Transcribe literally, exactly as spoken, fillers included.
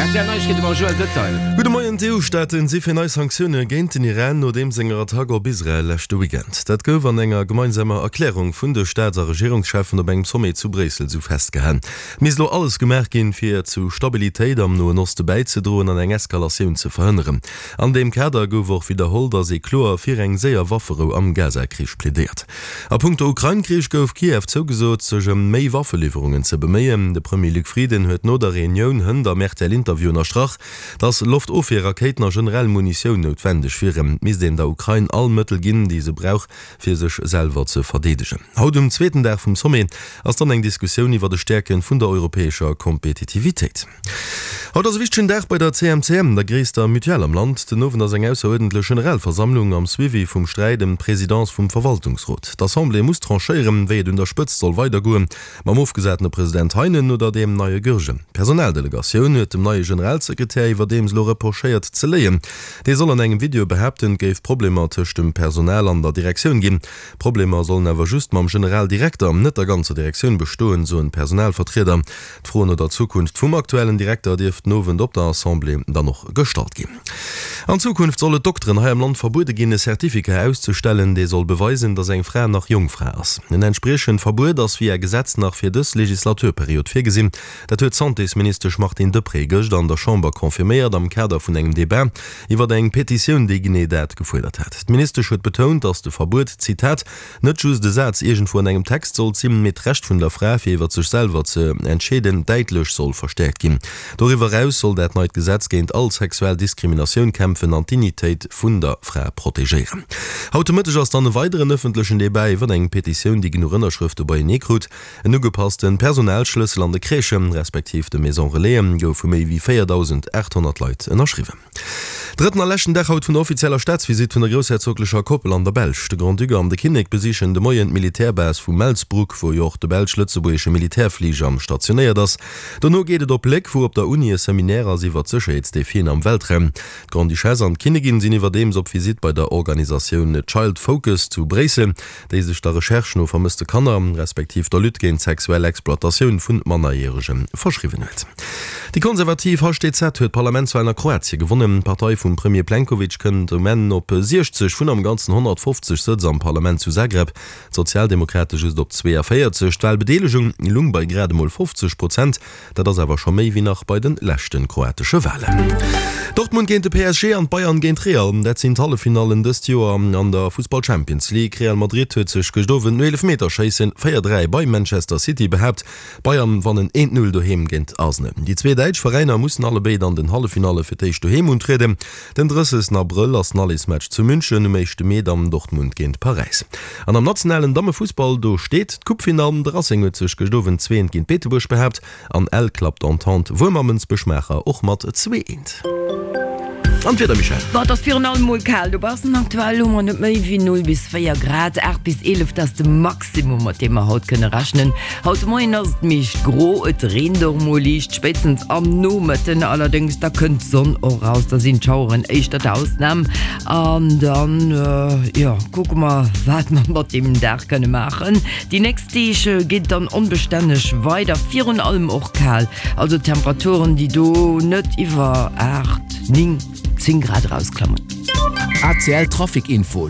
R T L Neiegkeete mam Joël Detail. Gudde Moien, D'E U-Staaten si fir nei Sanktioune géint den Iran no deem senger Attack op Israel leschte Weekend. Dat gouf an enger gemeinsamer Erklärung vun de Staats a Regierungscheffen op engem Sommet zu Bréissel sou festgehalen. Et misst elo alles gemaach ginn, fir zu Stabilitéit am Noen Oste bäizedroen an eng Eskalatioun ze verhënneren. An deem Kader gouf och widderholl, datt ee kloer fir eng séier Wafferou am Gaza-Krich plädéiert. A punkto Ukrain-Krich gouf Kiew zougesot, sech ëm méi Waffeliwwerungen ze beméien. De Premier Luc Frieden huet no der Reunioun hënt am R T L-Interview ënnerstrach, datt Loftofwierrakéiten a generell Munitioun noutwendeg wieren. Et misst een der Ukrain all Mëttel ginn, déi se brauch, fir sech selwer ze verdeedegen. Haut um zweeten Dag vum Sommet ass dann eng Diskussioun iwwer de Stäerke vun der europäescher Kompetitivitéit. Haut ass e wichtegen Dag bei der C M C M, der gréisster Mutuelle am Land. Den Owend ass eng ausseruerdentlech Generalversammlung am Suivi vum Sträit ëm d'Presidence vum Verwaltungsrot. D'Assemblée muss tranchéieren, wéi et un der Spëtzt soll weidergoen, mam ofgesatene President Heinen oder deem neie Goergen. D'Personaldelegatioun huet dem neie Generalsekretär iwwerdeems elo reprochéiert ze léien. Dee soll an engem Video behaapten, et géif Problemer tëscht dem Personal an der Direktioun ginn. D'Problemer sollen awer just mam Generaldirekter, net der ganzer Direktioun bestoen, soen d'Personalvertrieder. D'Fro no der Zukunft vum aktuellen Direkter dierft den Owend op der Assemblée dann och gestallt ginn. An Zukunft soll et Dokteren hei am Land verbuede ginn, e Certificat auszestellen, dee soll beweisen, datt eng Fra nach Jongfra ass. En entspriechend Verbuet ass via Gesetz nach fir dës Legislaturperiod virgesinn. Dat huet d'Santésministesch Martine Deprez gëscht an der Chamber confirméiert am Kader vun engem Debat iwwer eng Petitioun, déi genee dat gefuerdert hat. D'Ministesch huet betount, datt de Verbuet, Zitat, net just e Saz iergendwou an engem Text sollt sinn, mee d'Recht vun der Fra, fir iwwer sech selwer ze entscheeden, däitlech soll verstäerkt ginn. Doriwwer eraus soll dat neit Gesetz géint all sexuell Diskriminatioun kämpfen an d'Dignitéit vun der Fra protegéieren. Haut de Mëtteg ass dann e weideren ëffentlechen Debat iwwer eng Petitioun, déi genuch Ënnerschrëfte beienee krut. En ugepasste Personalschlëssel an de Crèchen, respektiv de Maison Relaisen, gouf vu méi wéi véierdausendaathonnert Leit ënnerschriwwen. Drëtten a leschten Dag haut vun der offizieller Staatsvisitt vun der groussherzoglecher Koppel an der Belsch. De Grand-Duc an de Kinnek besichen de Moien d'Militärbase vu Melsbroek, wou jo och de belsch-lëtzebuergesche Militärfliger stationéiert ass. Dono geet et op Léck, wou op der Uni e Seminaire ass iwwer d'Sécherheetsdefien am Weltraum. D'Grande-Duchesse an d'Kinnigin sinn iwwerdeems op Visitt bei der Organisatioun Child Focus zu Bréissel, déi sech der Recherche no vermësste Kanner, respektiv der Lutte géint sexuell Exploitatioun vu Mannerjärege verschriwwen huet. Déi konservativ H D Z huet d'Parlamentswalen a Kroatie gewonnen. D'Partei vum Premier Plenkovic kënnt um Enn op siechzeg vun am Ganzen honnertfofzeg Sëtz am Parlament zu Zagreb, d'Sozialdemokrate just op zweeënvéierzeg. D'Walbedeelegung lung bei grad emol fofzeg Prozent, dat ass awer scho méi wéi nach bei de leschte kroatesche Walen. Dortmund géint de P S G an d'Bayern géint Real, dat sinn d'Halleffinallen dëst Joer an der Fussball-Champions League. Real Madrid huet sech gëscht Owend no Eelefmeterschéissen véier dräi bei Manchester City behaapt. D'Bayern wannen eent null doheem géint Arsenal. Déi zwee däitsch Veräiner mussen allebéid an den Halleffinalle fir d'éischt doheem untrieden. Den drëssegsten Abrëll ass den Allesmatch zu München, um éischte Mee dann Dortmund géint Paräis. An am nationalen Dammefussball, do steet d'Coupefinall. De Racing huet sech gëscht Owend zwee eent géint Beetebuerg behaapt an Ell klappt Entente Wuermer Mënsbech-Maacher och mat zwee eent. An d'Wieder, Michèle? Boah, et ass virun allem mol kal dobaussen. Aktuell hu mer net méi wéi null bis véier Grad, aacht bis eelef, dat ass de Maximum, mat deem mer haut kënne rechnen. Haut de Moien ass et meescht gro, et reent och mol liicht, spéitstens am Nomëtten allerdéngs, da kënnt d'Sonn och raus, da sinn d'Schaueren éischter d'Ausnam. An dann, jo, kucke mer, wat mer mat deem Dag kënne maachen. Déi nächst Deeg geet et dann onbestänneg weider, virun allem och kal, also Temperaturen, déi do net iwwer aacht, néng, zéng Grad erausklammen. A C L Trafic Info.